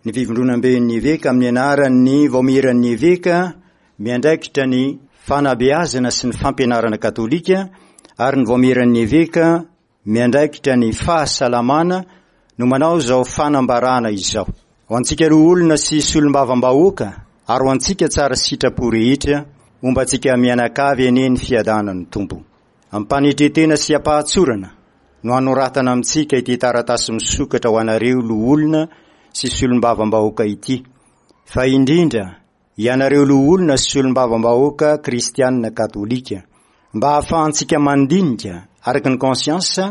Ny Fivondronamben'ny Eveka amin'ny anaran'ny Vaomieran'ny Eveka miandraikitra ny fanabeazana sy ny fampianarana katolika ary ny Vaomieran'ny Eveka miandraikitra ny fahasalamana no manao izao fanambarana izao. Ho antsika loholona sy solombavambahoaka ary ho antsika tsara sitrapo rehetra, homba antsika mianakavy anie ny fiadanan'ny Tompo. Am-panetren-tena sy am-pahatsorana no anoratana amintsika ity taratasy misokatra ho anareo loholona sy solombavambahoaka ity, fa indrindra ianareo loholona sy solombavambahoaka kristianina katolika, mba hahafahantsika mandinika araka ny conscience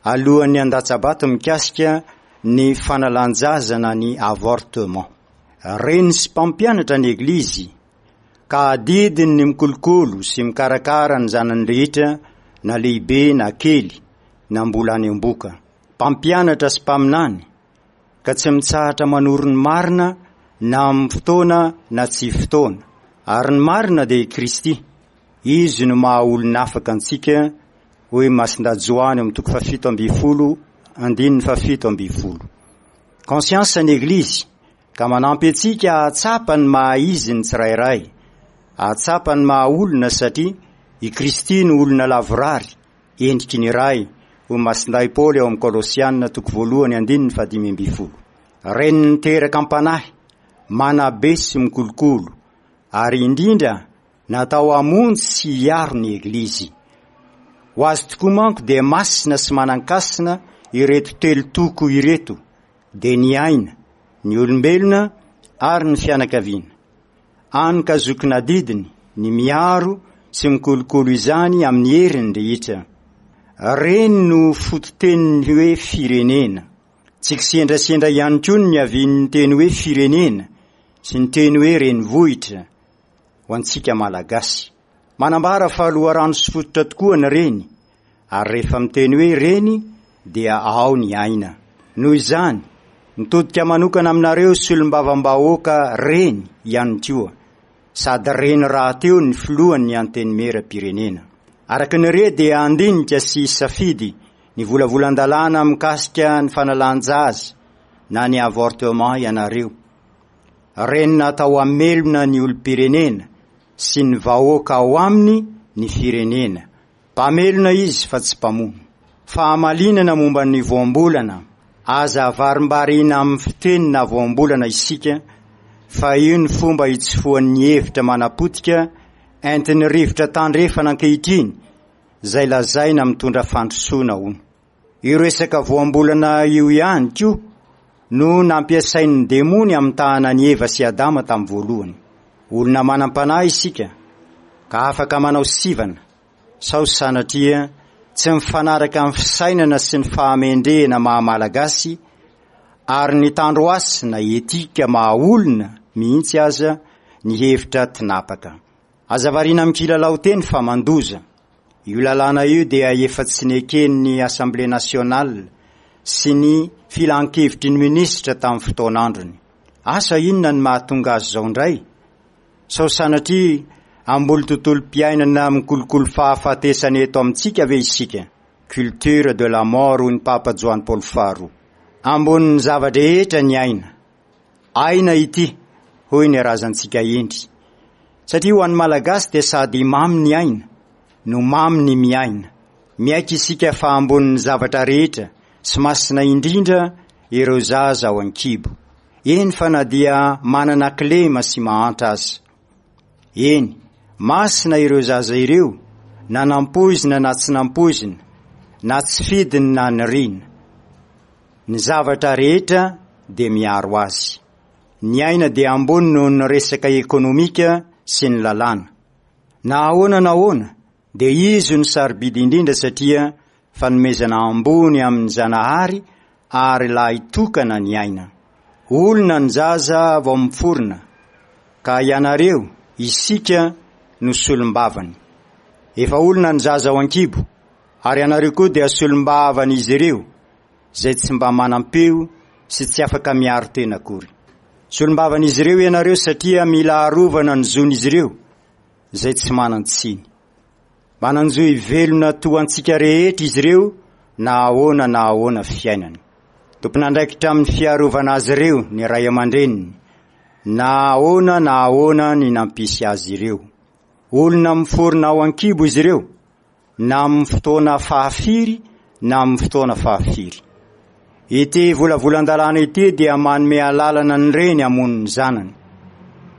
alohan'ny handatsa-bato mikasika ny fanalan-jaza na ny avortement. Reny sy mpampianatra ny Eglizy ka adidiny ny mikolokolo sy mikarakara ny zanany rehetra na lehibe na kely na mbola any am-boka. Mpampianatra sy mpaminany ka tsy mitsahatra manoro ny marina na amin'ny fotoana na tsy fotoana. Ary ny marina dia i Kristy. Izy no maha olona afaka antsika, hoy Masindahy Joany ao amin'ny toko fahafito ambinifolo, andininy fahafito ambinifolo. Conscience ny Eglizy ka manampy antsika hahatsapa ny maha izy ny tsirairay, hahatsapa ny maha olona satria i Kristy no olona lavorary, endriky ny Ray, hoy Masindahy Paoly ao amin'ny Kolosiana toko voalohany andininy fahadimy ambinifolo. Reny niteraka am-panahy, manabe sy mikolokolo, ary indrindra natao hamonjy sy hiaro ny Eglizy. Ho azy tokoa manko dia masina sy manan-kasina ireto telo toko ireto, dia ny aina, ny olombelona ary ny fianakaviana. Any ka zokin'adidiny ny miaro sy mikolokolo izany amin'ny heriny rehetra. Reny no fototenin'ny hoe firenena. Tsy kisendrasendra ihany koa ny niavian'ny teny hoe firenena sy ny teny hoe renivohitra ho antsika Malagasy. Manambara fa loharano sy fototra tokoa ny reny ary rehefa miteny hoe reny dia ao ny aina. Noho izany, mitodika manokana aminareo solombavambahoaka reny ihany koa, sady reny rahateo ny filohan'ny Antenimierampirenena. Araka ny re dia handinika sy hisafidy ny volavolan-dalàna mikasika ny fanalan-jaza na ny avortement ianareo. Reny natao hamelona ny olom-pirenena sy ny vahoaka ao aminy ny firenena. Mpamelona izy fa tsy mpamono. Fahamalinana momba ny voambolana, Aza avarimbarina amin'ny fiteny na voambolana isika fa io ny fomba hitsofohan'ny hevitra manapotika entin'ny rivotra tandrefana ankehitriny izay lazaina mitondra fandrosoana hono. Io resaka voambolana io ihany koa no nampiasain'ny demony hamitahana an'i Eva sy Adama tamin'ny voalohany. Olona manam-panahy isika ka afaka manao sivana sao sanatria tsy mifanaraka amin'ny fisainana sy ny fahamendrehana maha Malagasy ary ny tandrohasina etika maha olona mihitsy aza ny hevitra tinapaka. Aza variana amin'ny kilalao teny fa mandoza. Io lalàna io dia efa tsy neken'ny Assemblée nationale sy ny filankevitry ny minisitra tamin'ny fotoan'androny. Asa inona ny mahatonga azy izao indray? Sao sanatria hamboly tontolom-piainana mikolokolo fahafatesana eto amintsika ve isika? Culture de la mort hoy ny Papa Joany Paoly faharoa. Ambonin'ny zava-drehetra ny aina. Aina ity, hoy ny razantsika hendry. Satria ho an'ny Malagasy dia sady mamy ny aina, no mamy ny miaina. Miaiky isika fa ambonin'ny zavatra rehetra sy masina indrindra ireo zaza ao an-kibo. Eny fa na dia manana kilema sy mahantra aza. Eny, masina ireo zaza ireo na nampoizina na tsy nampoizina, na tsy fidiny na nirina. Ny zavatra rehetra dia miaro azy. Ny aina dia ambony noho ny resaka ekonomika sy ny lalàna. Na ahoana na ahoana dia izy no sarobidy indrindra satria fanomezana ambony amin'ny Zanahary ary lahy tokana ny aina. Olona ny zaza vao miforona ka ianareo, isika, no solombavany. Efa olona ny zaza ao an-kibo ary ianareo koa dia solombavan'izy ireo izay tsy mba manam-peo sy tsy afaka miaro tena akory. Solombavan'izy ireo ianareo satria mila arovana ny zon'izy ireo izay tsy manan-tsiny. Manan-jo hivelona toa antsika rehetra izy ireo na ahoana na ahoana fiainany. Tompon'andraikitra amin'ny fiarovana azy ireo ny ray aman-dreniny, na ahoana na ahoana ny nampisy azy ireo. Olona miforona ao an-kibo izy ireo, na amin'ny fotoana fahafiry na amin'ny fotoana fahafiry. Ity volavolan-dalàna ity dia manome alalana ny reny hamono ny zanany.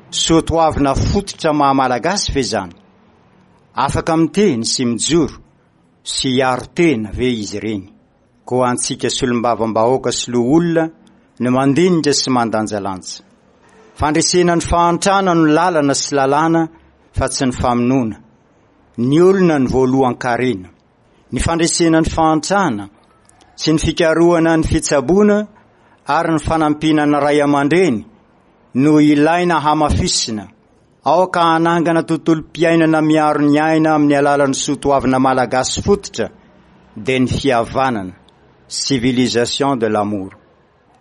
Soa toavina fototra maha Malagasy ve izany? Afaka miteny sy mijoro sy hiaro tena ve izy ireny? Koa antsika solombavambahoaka sy loholona no mandinika sy mandanjalanja. Fandresena ny fahantrana no lalana sy lalàna fa tsy ny famonoana. Ny olona no voalohan-karena. Ny fandresena ny fahantrana sy ny fikarohana ny fitsaboana ary ny fanampiana ny ray aman-dreny no ilaina hamafisina. Aoka hanangana tontolom-piainana miaro ny aina amin'ny alalan'ny soatoavina malagasy fototra dia ny fihavanana, civilisation de l'amour.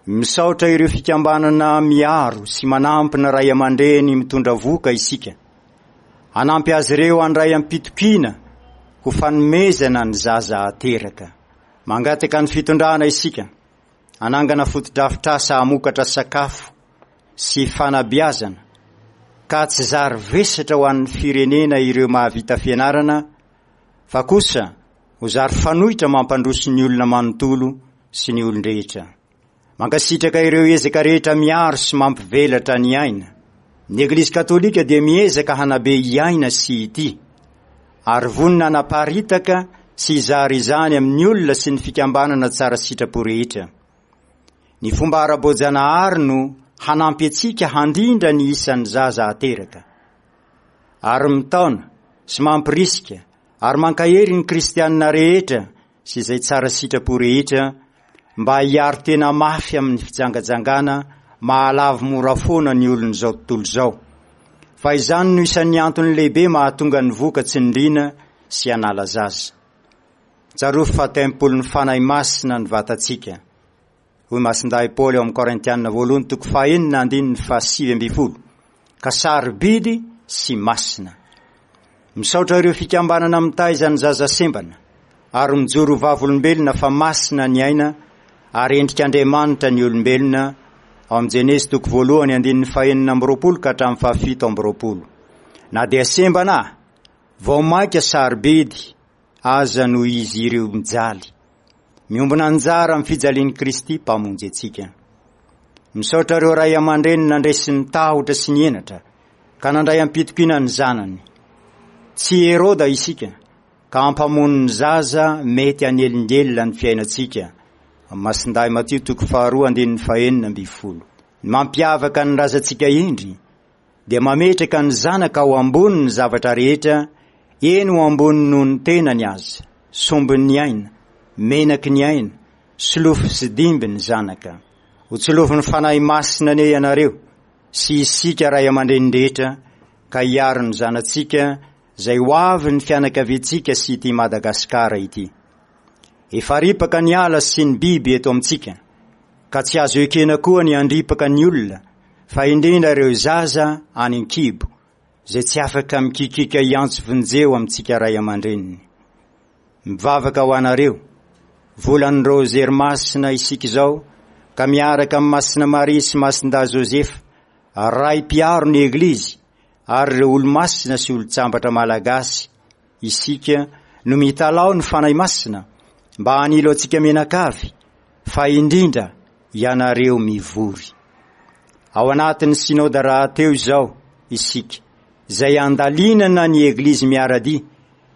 Misaotra ireo fikambanana miaro sy manampy ny ray aman-dreny mitondra vohoka isika. Hanampy azy ireo handray am-pitokiana ho fanomezana ny zaza ateraka. Mangataka ny fitondrana isika hanangana fotodrafitrasa hamokatra sakafo sy fanabeazana ka tsy zary vesatra ho an'ny firenena ireo mahavita fianarana fa kosa ho zary fanoitra mampandroso ny olona manontolo sy ny olon-drehetra. Mankasitraka ireo ezaka rehetra miaro sy mampivelatra ny aina. Ny Eglizy Katolika dia miezaka hanabe hiaina sy hitia, ary vonona hanaparitaka sy hizara izany amin'ny olona sy ny fikambanana tsara sitrapo rehetra. Ny fomba ara-boajanahary no hanampy antsika handrindra ny isan'ny zaza ateraka. Ary mitaona sy mampirisika ary mankahery ny kristianina rehetra sy izay tsara sitrapo rehetra mba hiaro tena mafy amin'ny fijangajangana mahalavo mora foana ny olon'izao tontolo izao, fa izany no isan'ny antony lehibe mahatonga ny voka tsy nirina sy hanala zaza. Tsarovy fa tempolin'ny Fanahy Masina ny vatantsika. Hoy Masindahy Paoly ao amin'ny Korintiana voalohany toko fahenina andininy faha-19, ka sarobidy sy masina. Misaotra ireo fikambanana mitaiza ny zaza sembana ary mijoro ho vavolombelona fa masina ny aina ary endrik'Andriamanitra ny olombelona ao amin'ny Jenezy toko voalohany andininy fahenina amby roapolo ka hatramin'ny fahafito amby roapolo. Na dia sembana vao mainka sarobidy aza noho izy ireo mijaly. Miombona anjara amin'ny fijalian'i Kristy Mpamonjy antsika. Misaotra ireo ray aman-dreny nandresy ny tahotra sy ny henatra ka nandray am-pitokiana ny zanany. Tsy Heroda isika ka hampamono ny zaza mety hanelingelina ny fiainantsika. Masindahy Matio toko faharoa andininy fahenina ambin'ny folo. Ny mampiavaka ny razantsika indry dia mametraka ny zanaka ao ambony ny zavatra rehetra, eny ho ambony noho ny tenany aza, sombin'ny aina, menaky ny aina, solofo sy dimby ny zanaka. Ho tsolovin'ny Fanahy Masina anie ianareo sy isika ray aman-dreny rehetra ka hiaro ny zanatsika izay ho avy ny fianakaviantsika sy ity Madagasikara ity. Efa ripaka ny ala sy ny biby eto amintsika ka tsy azo ekena koa ny handripaka ny olona fa indrindra ireo zaza any an-kibo izay tsy afaka mikikika hiantso vonjeo amintsika ray aman-dreniny. Mivavaka ho anareo, volan'ny Rozery Masina isika izao ka miaraka amin'i Masina Maria sy Masindahy Josefa, Ray mpiaro ny Eglizy ary ireo olomasina sy olon-tsambatra malagasy isika no mitalaho ny Fanahy Masina mba hanilo antsika mianakavy fa indrindra ianareo mivory. Ao anatin'ny Synoda rahateo izao isika, izay andalinana ny Eglizy miara-dia,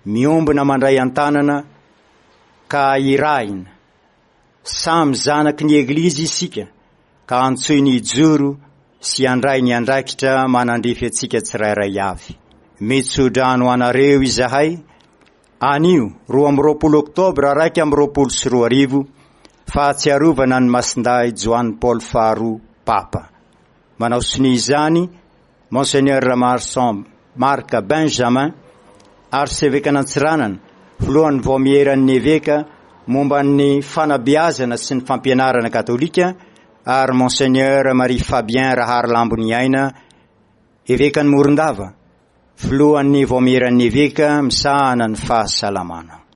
miombona mandray an-tanana ka irahina. Samy zanaky ny Eglizy isika ka antsoiny hijoro sy handray ny andraikitra manandrify antsika tsirairay avy. Mitso-drano anareo izahay anio 22 oktobra 2021, fahatsiarovana an'i Masindahy Joany Paoly faharoa Papa. Manao sonia izany Monseigneur Ramarson Marc Benjamin, Arsevekan'Antsiranana, filohan'ny Vaomieran'ny Eveka momba ny fanabeazana sy ny fampianarana katolika, ary Monseigneur Marie Fabien Raharilamboniaina, Evekan'i Morondava, filohan'ny Vaomieran'ny Eveka misahana ny fahasalamana.